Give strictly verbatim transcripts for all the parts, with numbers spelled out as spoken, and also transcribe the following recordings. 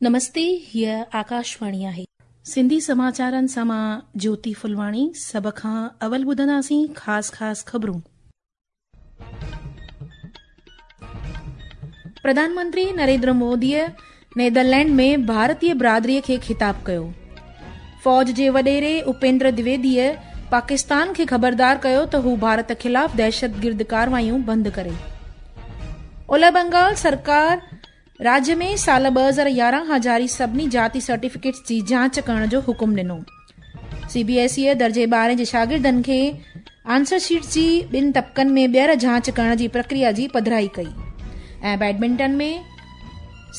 نمستي، هيء آڪاشواڻي آهي. سنڌي سماچارن سان مان جيوتي ڦلواڻي. سڀ کان اول ٻڌنداسين خاص خاص خبرون. پرڌان منتري نريندر موديء نيدرلينڊ ۾ ڀارتيه برادريء کي خطاب ڪيو. فوج جي وڏيري اپيندر دويديء پاڪستان کي خبردار ڪيو ته هو ڀارت خلاف دهشتگرد ڪارروايون بند ڪري. اولهه بنگال سرڪار راجيه ۾ سال ٻه هزار يارهن کان جاري سڀني ذاتي سرٽيفڪيٽس جي جاچ ڪرڻ جو حڪم ڏنو. سي بي ايس اي درجي ٻارهين جي شاگردن کي آنسر شيٽس جي ٻن طبقن ۾ ٻيهر جاچ ڪرڻ جي پرڪريا جي پڌرائي ڪئي. ۽ بيڊمنٽن ۾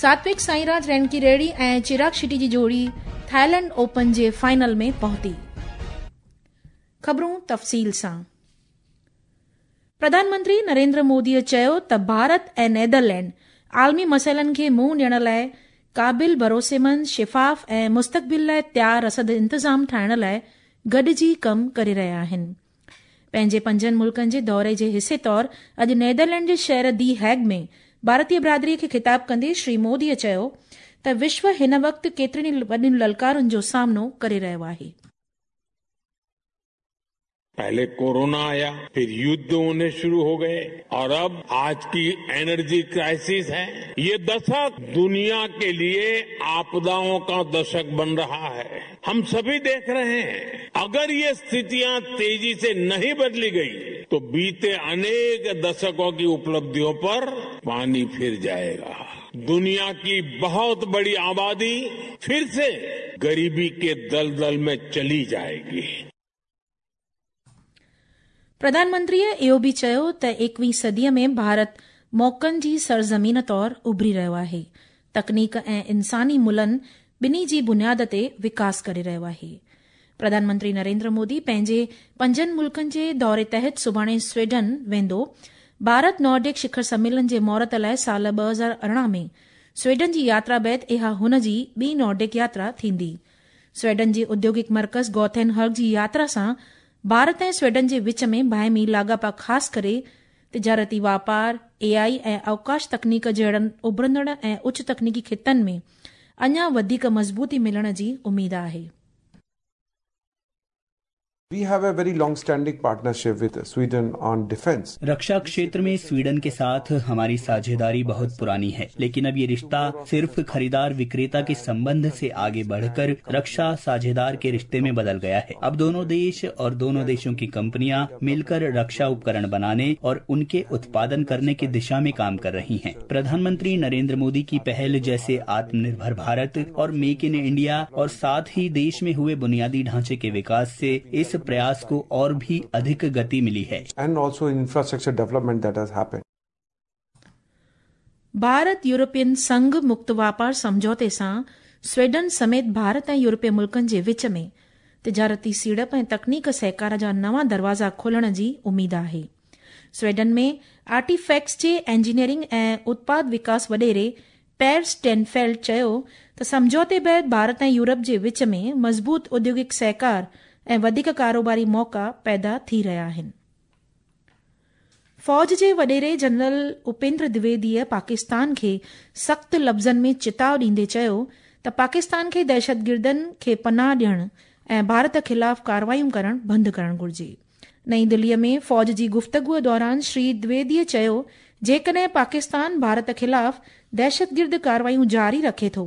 ساتوڪ سائيراج رينڪي ريڊي ۽ چراگ شيٽي جي جوڙي ٿائيلينڊ اوپن جي فائنل ۾ پهتي. خبرون تفصيل سان. پرڌان منتري نريندر موديء چيو ته ڀارت ۽ نيدرلينڊ عالمي مسئلن کي منهن ڏيڻ لاء قابل، ڀروسيمند، شفاف ۽ مستقبل لاء تيار رسد انتظام ٺاهڻ لاء گڏجي ڪم ڪري رهيا آهن. پنهنجي پنجن ملڪن جي دوري جي حصي طور اڄ نيدرلينڊ جي شهر the Hague ۾ ڀارتيه برادري کي خطاب ڪندي شري موديء چيو ته وشو هن وقت ڪيترين ئي وڏين للڪارن جو سامنو ڪري رهيو آهي. पहले कोरोना आया, फिर युद्ध होने शुरू हो गए और अब आज की एनर्जी क्राइसिस है। ये दशक दुनिया के लिए आपदाओं का दशक बन रहा है। हम सभी देख रहे हैं, अगर ये स्थितियां तेजी से नहीं बदली गई तो बीते अनेक दशकों की उपलब्धियों पर पानी फिर जाएगा। दुनिया की बहुत बड़ी आबादी फिर से गरीबी के दलदल में चली जाएगी। प्रधानमंत्रीअ इहो बि चयो त एकवीं सदीअ में भारत मौक़नि जी सरज़मीन तौर उभरी रहियो आहे। तकनीक ऐं इंसानी मुलनि ॿिन्ही जी बुनियाद ते विकास करे रहियो आहे। प्रधानमंत्री नरेंद्र मोदी पंहिंजे पंजनि मुल्कनि जे दौरे तहत सुभाणे स्वीडन वेंदो. भारत नॉर्डिक शिखर सम्मेलन जे मुहूर्त लाइ साल ٻه هزار ارڙهن ۾ سوئيڊن جي ياترا بعد اها هن جي ٻي نارڊڪ ياترا ٿيندي. سوئيڊن جي اوديوگڪ مرڪز گوٿينهرگ جي ياترا سان ڀارت ۽ سوئيڊن جي وچ ۾ باهمي لاڳاپا خاص ڪري تجارتي واپار، اي آئي ۽ اوڪاش تڪنيڪ جهڙن اڀرندڙ ۽ اچ تڪنيڪي خطن ۾ اڃا وڌيڪ مضبوطي ملڻ جي اميد آهي. We have a very long-standing partnership with Sweden on defense. रक्षा क्षेत्र में स्वीडन के साथ हमारी साझेदारी बहुत पुरानी है, लेकिन अब ये रिश्ता सिर्फ खरीदार विक्रेता के संबंध से आगे बढ़कर रक्षा साझेदार के रिश्ते में बदल गया है। अब दोनों देश और दोनों देशों की कंपनियां मिलकर रक्षा उपकरण बनाने और उनके उत्पादन करने की दिशा में काम कर रही हैं। प्रधानमंत्री नरेंद्र मोदी की पहल जैसे आत्मनिर्भर भारत और मेक इन इंडिया और साथ ही देश में हुए बुनियादी ढांचे के विकास से इस प्रयास को और भी अधिक गति मिली है। And also infrastructure development that has happened. Bharat European संघ मुक्त वापार सम्झौते सां स्वीडन समेत भारत ऐं यूरोपीय मुल्कनि जे विच में तिजारती सीड़प ऐं तकनीक सहकार जा नवां दरवाज़ा खोलण जी उम्मीद आहे. स्वीडन में आर्टिफैक्ट्स जे इंजीनियरिंग ऐं उत्पाद विकास वॾेरे पेर स्टेनफेल्ड चयो त सम्झौते बाद भारत ऐं यूरोप जे विच में मज़बूत औद्योगिक सहकार ऐं वधीक कारोबारी मौक़ा पैदा थी रहिया आहिनि. फ़ौज जे वॾेरे जनरल उपेंद्र द्विवेदीअ पाकिस्तान खे सख़्तु लफ़्ज़नि में चिताव ॾींदे चयो त पाकिस्तान खे दहशतगिर्दनि खे पनाह ॾियण ऐं भारत ख़िलाफ़ कार्रवायूं करणु बंदि करणु घुर्जे. नई दिल्लीअ में फ़ौज जी गुफ़्तगूअ दौरान श्री द्विवेदीअ चयो जेकॾहिं पाकिस्तान भारत ख़िलाफ़ दहशतगिर्द कार्रवायूं जारी रखे थो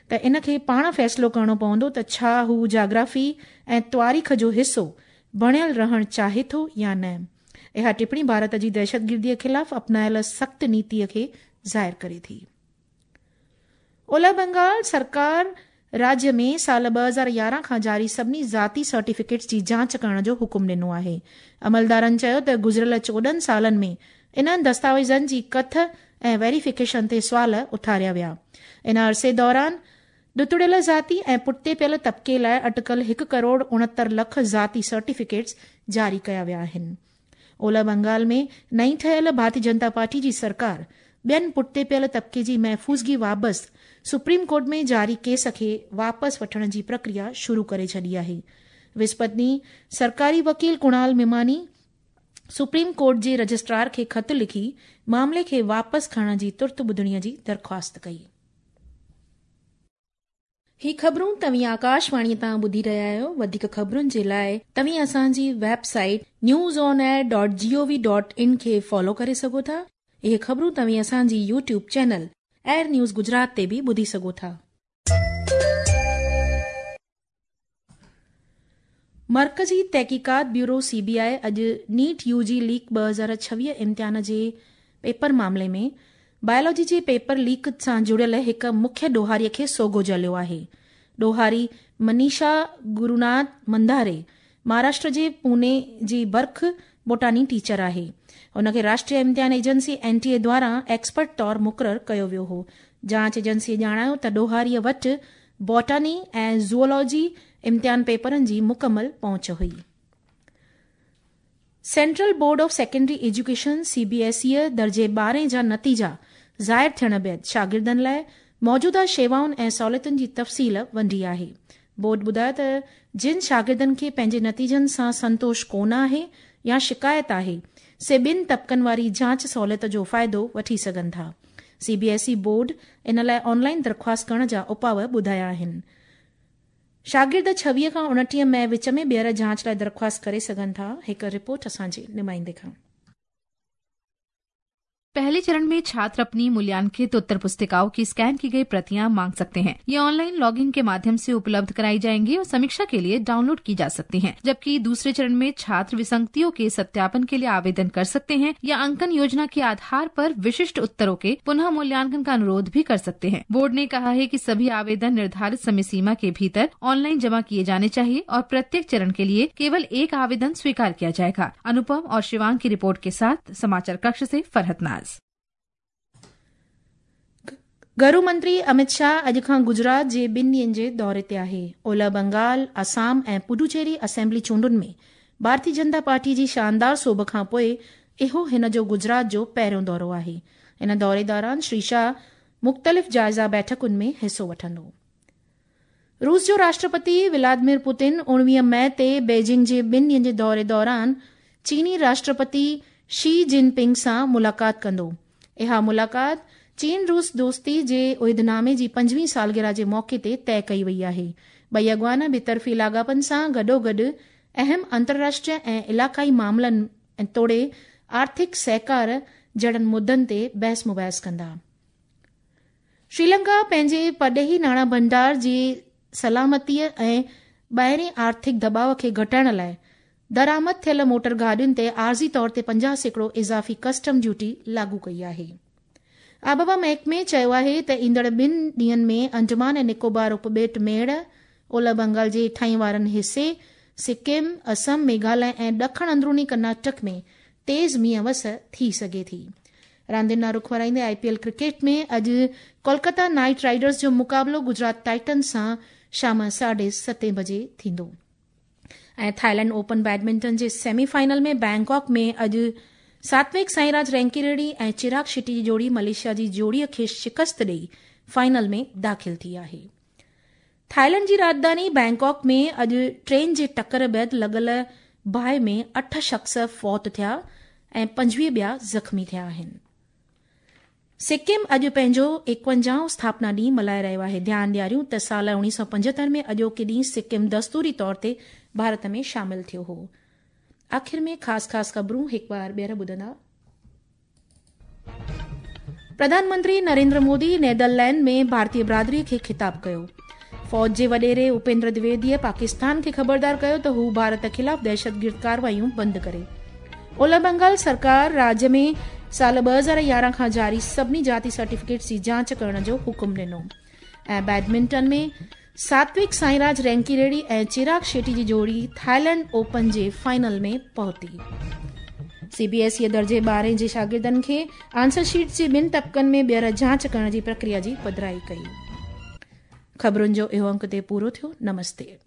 त इन खे पाण फ़ैसिलो करिणो पवंदो त छा हू जाग्राफ़ी ऐं तवारीख़ जो हिसो बणियल रहणु चाहे थो या न. इहा टिप्पणी भारत जी दहशतगिर्दीअ ख़िलाफ़ अपनायल सख़्तु नीतीअ खे ज़ाहिर करे थी. ओलह बंगाल सरकार राज्य में साल ٻه هزار يارهن खां जारी सभिनी ज़ाती सर्टिफिकेट्स जी जांच करण जो हुकुम ॾिनो आहे. अमलदारनि चयो त गुज़िरियल चोॾहं सालनि में इन्हनि दस्तावेज़नि जी कथ ऐं वेरीफिकेशन ते सुवाल उथारिया विया. इन अरसे दौरान ॾुतुड़ियल ज़ाती ऐं पुठिते पियल तबिके लाइ अटकल हिकु करोड़ उणहतरि लख ज़ाती सर्टिफिकेट्स जारी कया विया आहिनि. ओलह बंगाल में नई ठहियल भारतीय जनता पार्टी जी सरकार ॿियनि पुठिते पियल तबिके जी महफ़ूज़गी वाबस्ते सुप्रीम कोर्ट में जारी केस खे वापसि वठण जी प्रक्रिया शुरू करे छॾी आहे. विस्पति ॾींहुं सरकारी वकील कुणाल मिमानी सुप्रीम कोर्ट जे रजिस्ट्रार खे ख़त लिखी मामले खे वापसि खणण जी तुर्त ॿुधणीअ जी दरख़्वास्त कई. ही ख़बरूं तव्हीं आकाशवाणी तां ॿुधी रहिया आहियो। वधीक ख़बरुनि जे लाइ तव्हीं असांजी website news on air dot G O V dot in खे फॉलो करे सघो था। इहे ख़बरूं तव्हीं असांजी YouTube channel air news Gujarat ते बि ॿुधी सघो था। मर्कज़ी तहक़ीक़ात ब्यूरो सी बी I अॼु नीट you ji leak ॿ हज़ार छवीह इम्तिहान जे पेपर मामले में बायोलॉजी जे पेपर लीक सां जुड़ियल हिकु मुख्य ॾोहारीअ खे सोगो जलियो आहे। ॾोहारी मनीषा गुरुनाथ मंधारे महाराष्ट्र जे पुणे जी बर्ख बोटानी टीचर आहे। हुनखे राष्ट्रीय इम्तिहान एजेंसी एन टी ए द्वारा एक्सपर्ट तौर मुक़ररु कयो वियो हो। जांच एजेंसीअ ॼाणायो त ॾोहारीअ वटि बॉटनी ऐं ज़ूओलॉजी इम्तिहान पेपरनि जी मुकमल पहुच हुई। Central board of secondary education C B S E दर्जे ॿारहें जा नतीजा ज़ाहिर थियण बाद शागिर्दनि लाइ मौजूदा शेवाउनि ऐं सहूलियतुनि जी तफ़सील वंडी आहे। बोर्ड ॿुधायो त जिन शागिर्दनि खे पंहिंजे नतीजनि सां संतोष कोन आहे या शिकायत आहे से ॿिनि तबकनि वारी जांच सहूलियत जो फ़ाइदो वठी सघनि था। C B S E board इन लाइ ऑनलाइन दरख़्वास्त करण जा उपाव ॿुधाया आहिनि। शागिर्द छवीह खां उणटीह मई विच में ॿीहर जांच लाइ दरख़्वास्त करे सघनि था। हिकु रिपोर्ट असांजे नुमाइंदे खां। पहले चरण में छात्र अपनी मूल्यांकित उत्तर पुस्तिकाओं की स्कैन की गई प्रतियां मांग सकते हैं। ये ऑनलाइन लॉगिन के माध्यम से उपलब्ध कराई जाएंगी और समीक्षा के लिए डाउनलोड की जा सकती हैं, जबकि दूसरे चरण में छात्र विसंगतियों के सत्यापन के लिए आवेदन कर सकते हैं या अंकन योजना के आधार पर विशिष्ट उत्तरों के पुनः मूल्यांकन का अनुरोध भी कर सकते हैं। बोर्ड ने कहा है कि सभी आवेदन निर्धारित समय सीमा के भीतर ऑनलाइन जमा किए जाने चाहिए और प्रत्येक चरण के लिए केवल एक आवेदन स्वीकार किया जाएगा। अनुपम और शिवांग की रिपोर्ट के साथ समाचार कक्ष से फरहत नाज। घरू मंत्री अमित शाह अॼु खां गुजरात जे ॿिनि ॾींहनि जे दौरे ते आहे। ओलह बंगाल, असम ऐं पुडुचेरी असेंबली चूंडुनि में भारतीय जनता पार्टी जी शानदार सोभ खां पोइ इहो हिन जो गुजरात जो पहिरियों दौरो आहे। इन दौरे दौरान श्री शाह मुख़्तलिफ़ जाइज़ा बैठकुनि में हिसो वठंदो। रूस जो राष्ट्रपति व्लादिमीर पुतिन उणिवीह मई ते बीजिंग जे ॿिनि ॾींहनि जे दौरे दौरान चीनी राष्ट्रपति शी जिनपिंग सां मुलाक़ात कंदो। इहा मुलाक़ात चीन रूस दोस्ती जे उहिदनामे जी पंजवीं सालगिरह जे मौक़े ते तय कई वई आहे। ॿई अॻवान ॿितरफ़ी लाॻापनि सां गॾोगॾु अहम अंतर्राष्ट्रीय ऐं इलाक़ाई मामलनि ऐं तोड़े आर्थिक सहकार जहिड़नि मुद्दनि ते बहस मुबहस कंदा। श्रीलंका पंहिंजे परॾेही नाणा भंडार जी सलामतीअ ऐं ॿाहिरीं आर्थिक दॿाव खे घटाइण लाइ दरामद थियल मोटर गाॾियुनि ते आर्ज़ी तौर ते पंजाह सैकड़ो इज़ाफ़ी कस्टम ड्यूटी लागू कई आहे। आबहवा महकमे चयो आहे त ईंदड़ ॿिनि ॾींहनि में अंडमान ऐं निकोबार उपॿेट मेड़, ओलह बंगाल जे हेठाई वारनि हिसे, सिक्किम, असम, मेघालय ऐं ॾखण अंदरूनी कर्नाटक में तेज़ मींहं वस थी सघे थी। रांदियुनि ॾांहुं रुख वराईंदे I P L cricket में अॼु कोलकाता नाइट राइडर्स जो मुक़ाबिलो गुजरात टाइटन्स सां शाम साढे सतें बजे थींदो। ऐं थाईलैंड ओपन बैडमिंटन जे सेमीफाइनल में बैंकॉक में अॼु सात्विक साईराज रैंकीरेड्डी ऐं चिराग शेट्टी जी जोड़ी मलेशिया जी जोड़ीअ खे शिकस्त ॾेई फाइनल में दाख़िल थी आहे। थाईलैंड जी राजधानी बैंकॉक में अॼु ट्रेन जे टकर बाद लॻल बाहि में अठ शख़्स फौत थिया ऐं पंजवीह ॿिया ज़ख़्मी थिया आहिनि। सिक्किम अॼु पंहिंजो एकवंजाहों स्थापना ॾींहुं मल्हाए रहियो आहे। ध्यानु ॾियारियूं त साल उणिवीह सौ पंजहतरि में अॼोके ॾींहुं सिक्किम दस्तूरी तौर ते भारत में शामिल थियो हो। आख़िर में ख़ासि ख़ासि ख़बरूं हिकु बार ॿीहर ॿुधंदा। प्रधानमंत्री नरेंद्र मोदी नेदरलैंड में भारतीय बिरादरी खे ख़िताब कयो। फ़ौज जे वॾेरे उपेंद्र द्विवेदीअ पाकिस्तान खे ख़बरदार कयो त हू भारत ख़िलाफ़ दहशतगिर्द कार्रवाइयूं बंदि करे। ओलह बंगाल सरकार राज्य में साल ॿ हज़ार यारहं खां जारी सभिनी जाति सर्टिफिकेट्स जी जांच करण जो हुकुम ॾिनो। ऐं बैडमिंटन में सात्विक साईराज रैंकीरेड्डी ऐं चिराग शेट्टी जी जोड़ी थाईलैंड ओपन जे फाइनल में पहुती। सी बी एस ई दर्जे ॿारहें जे शागिर्दनि खे आंसर शीट जे ॿिनि तबकनि में ॿीहर जांच करण जी प्रक्रिया जी पधराई कई। ख़बरुनि जो इहो अंक ते पूरो थियो। नमस्ते।